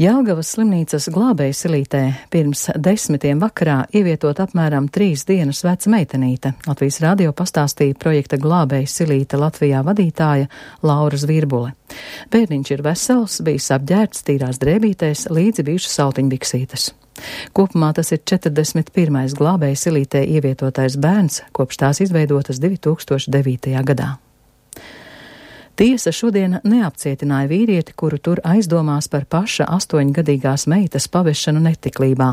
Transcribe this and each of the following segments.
Jelgavas slimnīcas glābējsilītē pirms 10 vakarā ievietot apmēram 3 dienas veca meitenīte. Latvijas radio pastāstīja projekta glābējsilīte Latvijā vadītāja Laura Zvirbule. Bērniņš ir vesels, bijis apģērbts tīrās drēbītēs, līdzi bijušas saltiņbiksītes. Kopumā tas ir 41. glābējsilītē ievietotais bērns, kopš tās izveidotas 2009. gadā. Tiesa šodien neapcietināja vīrieti, kuru tur aizdomās par paša 8-gadīgās meitas pavešanu netiklībā.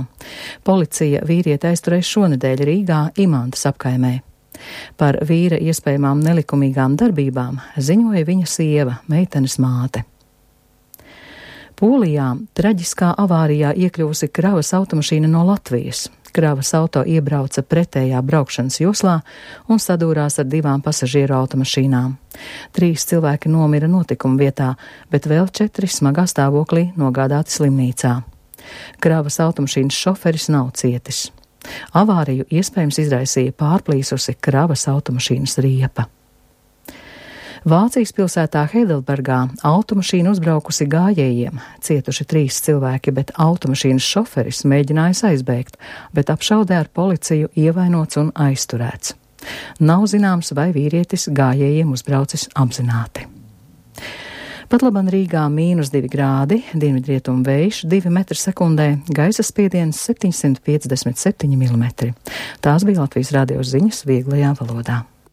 Policija vīrieti aizturēja šonedēļ Rīgā Imantas apkaimē. Par vīra iespējamām nelikumīgām darbībām ziņoja viņa sieva, meitenes māte. Polijā traģiskā avārijā iekļuvusi kravas automašīna no Latvijas. Kravas auto iebrauca pretējā braukšanas joslā un sadūrās ar 2 pasažieru automašīnām. 3 cilvēki nomira notikuma vietā, bet vēl 4 smagā stāvoklī nogādāti slimnīcā. Kravas automašīnas šoferis nav cietis. Avāriju iespējams izraisīja pārplīsusi kravas automašīnas riepa. Vācijas pilsētā Heidelbergā automašīna uzbraukusi gājējiem, cietuši 3 cilvēki, bet automašīnas šoferis mēģinājis aizbēgt, bet apšaudē ar policiju ievainots un aizturēts. Nav zināms, vai vīrietis gājējiem uzbraucis apzināti. Patlaban Rīgā -2 grādi, dienvidrietumu vējš 2 metri sekundē, gaisa spiediens 757 mm. Tās bija Latvijas radio ziņas vieglajā valodā.